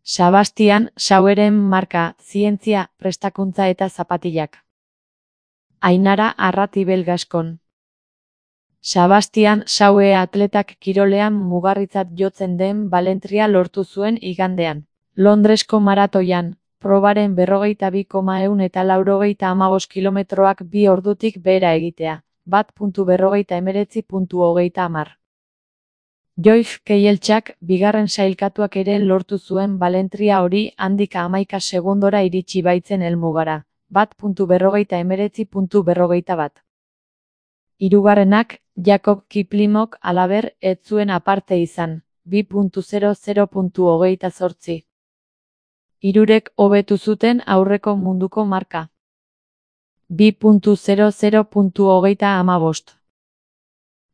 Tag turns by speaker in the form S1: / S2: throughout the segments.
S1: Sebastian Saueren marka, zientzia, prestakuntza eta zapatilak. Ainara Arratibel Gaskon. Sebastian Saue atletak kirolean mugarritzat jotzen den balentria lortu zuen igandean. Londresko maratoian, probaren 42,195 kilometroak 2 ordutik behera egitea, 1.49.30. Joyce Keiltxak, bigarren sailkatuak ere lortu zuen balentria hori handik 11 segundora iritsi baitzen helmugara, 1.49.41. Hirugarrenak, Jakob Kiplimok halaber ez zuen aparte izan, 2.00.28. Hirurek hobetu zuten aurreko munduko marka. 2.00.35.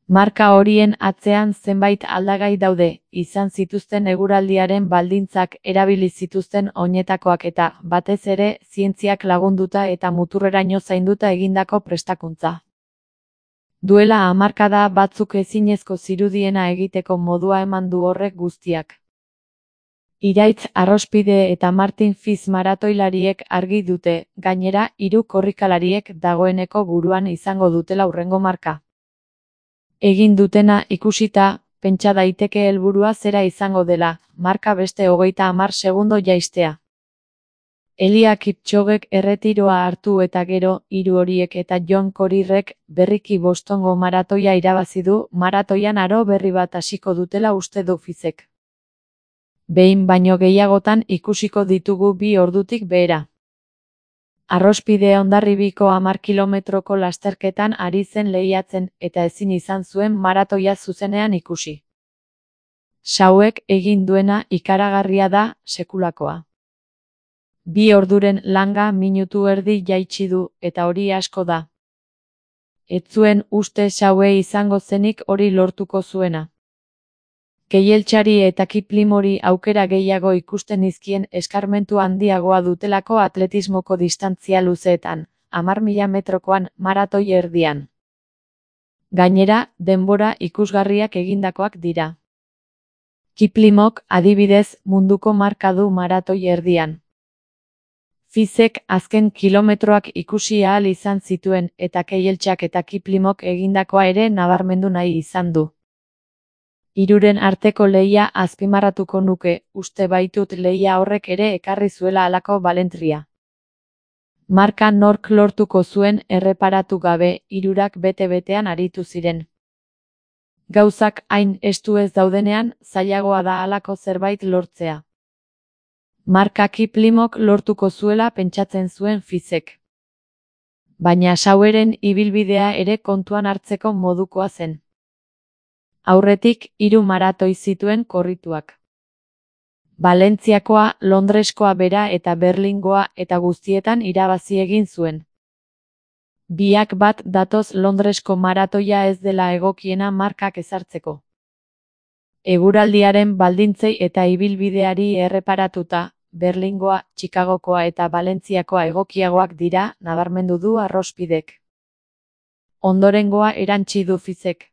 S1: Marka horien atzean zenbait aldagai daude, izan zituzten eguraldiaren baldintzak, erabili zituzten oinetakoak eta, batez ere, zientziak lagunduta eta muturreraino zainduta egindako prestakuntza. Duela hamarkada batzuk ezinezko zirudiena egiteko modua eman du horrek guztiak. Iraitz Arrospide eta Martin Fiz maratoilariek argi dute, gainera, 3 korrikalariek dagoeneko buruan izango dutela hurrengo marka. Egin dutena ikusita, pentsa daiteke helburua zera izango dela, marka beste 30 segundo jaistea. Elia Kipchogek erretiroa hartu eta gero, 3 horiek eta John Korirrek berriki Bostongo maratoia irabazi du, maratoian aro berri bat hasiko dutela uste du Fizek. Behin baino gehiagotan ikusiko ditugu 2 ordutik behera. Arrospide Hondarribiko 10 kilometroko lasterketan ari zen lehiatzen eta ezin izan zuen maratoia zuzenean ikusi. Sauek egin duena ikaragarria da, sekulakoa. 2 orduren langa minutu erdi jaitsi du, eta hori asko da. Ez zuen uste Saue izango zenik hori lortuko zuena. Keiltxari eta Kiplimori aukera gehiago ikusten izkien eskarmentu handiagoa dutelako atletismoko distantzia luzeetan, 10.000 metrokoan, maratoi erdian. Gainera, denbora ikusgarriak egindakoak dira. Kiplimok, adibidez, munduko marka du maratoi erdian. Fizek azken kilometroak ikusi ahal izan zituen eta Keiltxak eta Kiplimok egindakoa ere nabarmendu nahi izan du. Hiruren arteko lehia azpimarratuko nuke, uste baitut lehia horrek ere ekarri zuela halako balentria. Marka nork lortuko zuen erreparatu gabe, hirurak bete-betean aritu ziren. Gauzak hain estu ez daudenean, zailagoa da halako zerbait lortzea. Marka Kiplimok lortuko zuela pentsatzen zuen Fizek. Baina Saueren ibilbidea ere kontuan hartzeko modukoa zen. Aurretik 3 maratoi zituen korrituak. Valentziakoa, Londreskoa bera eta Berlingoa eta guztietan irabazi egin zuen. Biak bat datoz Londresko maratoia ez dela egokiena markak ezartzeko. Eguraldiaren baldintzei eta ibilbideari erreparatuta, Berlingoa, Chicagokoa eta Valentziakoa egokiagoak dira, nabarmendu du Arrospidek. Ondorengoa erantsi du Fizek.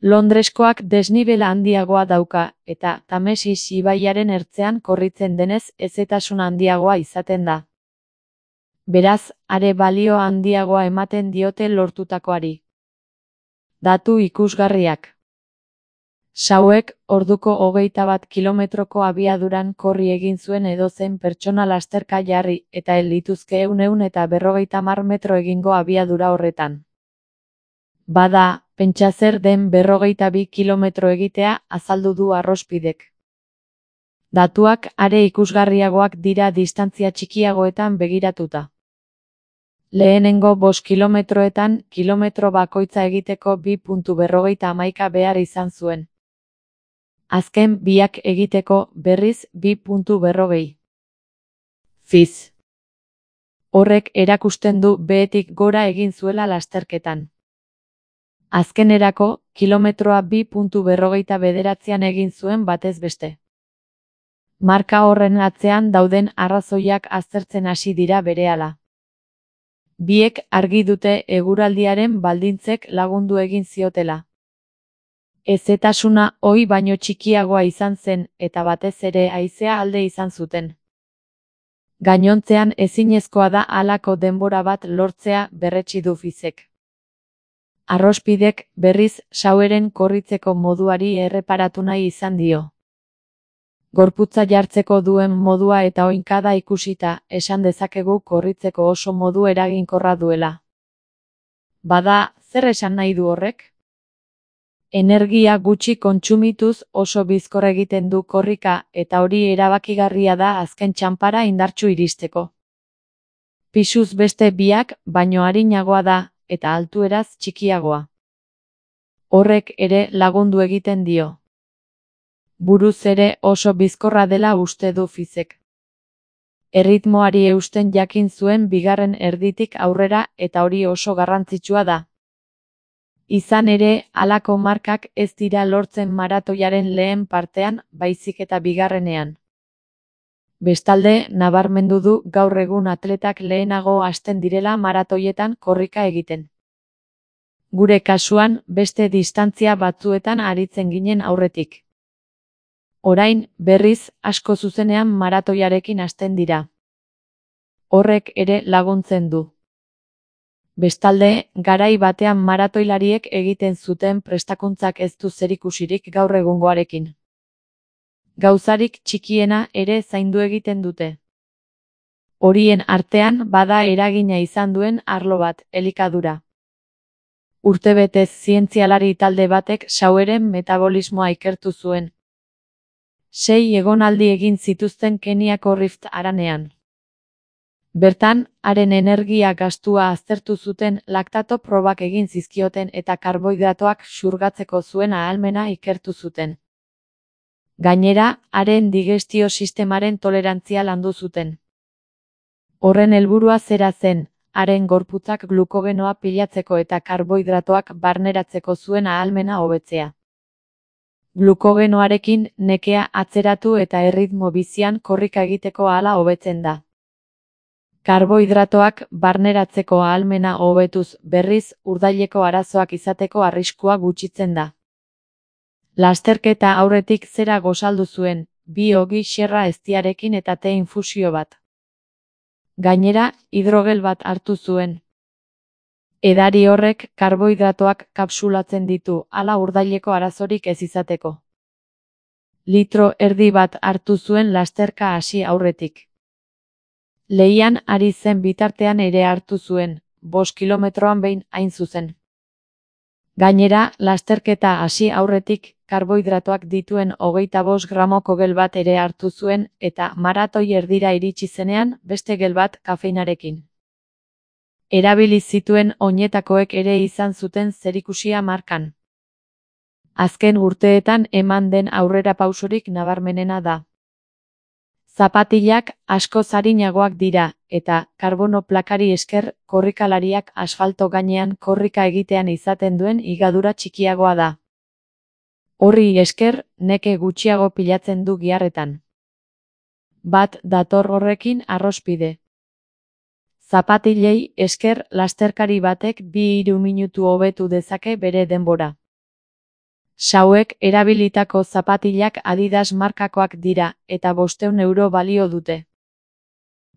S1: Londreskoak desnibela handiagoa dauka, eta Tamesis ibaiaren ertzean korritzen denez hezetasun handiagoa izaten da. Beraz, are balio handiagoa ematen diote lortutakoari. Datu ikusgarriak. Sauek, orduko 21 kilometroko abiaduran korri egin zuen edozein pertsona lasterka jarri, eta ez lituzke 100 eta 50 metro egingo abiadura horretan. Bada, pentsa zer den 42 kilometro egitea, azaldu du Arrospidek. Datuak are ikusgarriagoak dira distantzia txikiagoetan begiratuta. Lehenengo 5 kilometroetan, kilometro bakoitza egiteko 2.51 behar izan zuen. Azken biak egiteko, berriz, 2.40. Fiz. Horrek erakusten du behetik gora egin zuela lasterketan. Azkenerako, kilometroa 2.49 egin zuen batez beste. Marka horren atzean dauden arrazoiak aztertzen hasi dira berehala. Biek argi dute eguraldiaren baldintzek lagundu egin ziotela. Hezetasuna ohi baino txikiagoa izan zen eta batez ere haizea alde izan zuten. Gainontzean ezinezkoa da halako denbora bat lortzea berretsi du Fizek. Arrospidek, berriz, Saueren korritzeko moduari erreparatu nahi izan dio. Gorputza jartzeko duen modua eta oinkada ikusita, esan dezakegu korritzeko oso modu eraginkorra duela. Bada, zer esan nahi du horrek? Energia gutxi kontsumituz oso bizkor egiten du korrika eta hori erabakigarria da azken txanpara indartsu iristeko. Pisuz beste biak baino arinagoa da eta altueraz txikiagoa. Horrek ere lagundu egiten dio. Buruz ere oso bizkorra dela uste du Fizek. Erritmoari eusten jakin zuen bigarren erditik aurrera eta hori oso garrantzitsua da. Izan ere, halako markak ez dira lortzen maratoiaren lehen partean, baizik eta bigarrenean. Bestalde, nabarmendu du gaur egun atletak lehenago hasten direla maratoietan korrika egiten. Gure kasuan, beste distantzia batzuetan aritzen ginen aurretik. Orain, berriz, asko zuzenean maratoiarekin hasten dira. Horrek ere laguntzen du. Bestalde, garai batean maratoilariek egiten zuten prestakuntzak ez du zerikusirik gaur egungoarekin. Gauzarik txikiena ere zaindu egiten dute. Horien artean bada eragina izan duen arlo bat, elikadura. Urtebetez zientzialari talde batek Saueren metabolismoa ikertu zuen. 6 egonaldi egin zituzten Keniako Rift haranean. Bertan, haren energia gastua aztertu zuten laktato probak egin zizkioten eta karbohidratoak xurgatzeko zuen ahalmena ikertu zuten. Gainera, haren digestio sistemaren tolerantzia landu zuten. Horren helburua zera zen, haren gorputzak glukogenoa pilatzeko eta karbohidratoak barneratzeko zuen ahalmena hobetzea. Glukogenoarekin nekea atzeratu eta erritmo bizian korrika egiteko ahala hobetzen da. Karbohidratoak barneratzeko ahalmena hobetuz berriz urdaileko arazoak izateko arriskua gutxitzen da. Lasterketa aurretik zera gosaldu zuen, 2 ogi xerra eztiarekin eta te infusio bat. Gainera, hidrogel bat hartu zuen. Edari horrek karbohidratoak kapsulatzen ditu, hala urdaileko arazorik ez izateko. 1,5 litro bat hartu zuen lasterka hasi aurretik. Lehian ari zen bitartean ere hartu zuen, 5 kilometroan behin hain zuzen. Gainera, lasterketa hasi aurretik, karbohidratoak dituen 25 gramoko gel bat ere hartu zuen, eta maratoi erdira iritsi zenean, beste gel bat kafeinarekin. Erabili zituen oinetakoek ere izan zuten zerikusia markan. Azken urteetan eman den aurrerapausorik nabarmenena da. Zapatilak askoz arinagoak dira, eta karbono plakari esker korrikalariak asfalto gainean korrika egitean izaten duen higadura txikiagoa da. Horri esker, neke gutxiago pilatzen du giharretan. Bat dator horrekin arrospide. Zapatilei esker lasterkari batek 2-3 minutu hobetu dezake bere denbora. Sauek erabilitako zapatilak Adidas markakoak dira, eta 500 euro balio dute.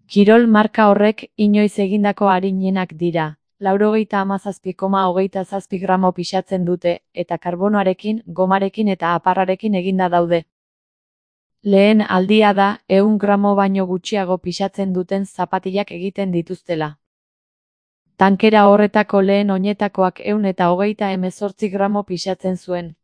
S1: Kirol marka horrek inoiz egindako arinenak dira, 97,27 gramo pisatzen dute, eta karbonoarekin, gomarekin eta aparrarekin eginda daude. Lehen aldia da, 100 gramo baino gutxiago pisatzen duten zapatilak egiten dituztela. Tankera horretako lehen oinetakoak 128 gramo pisatzen zuen.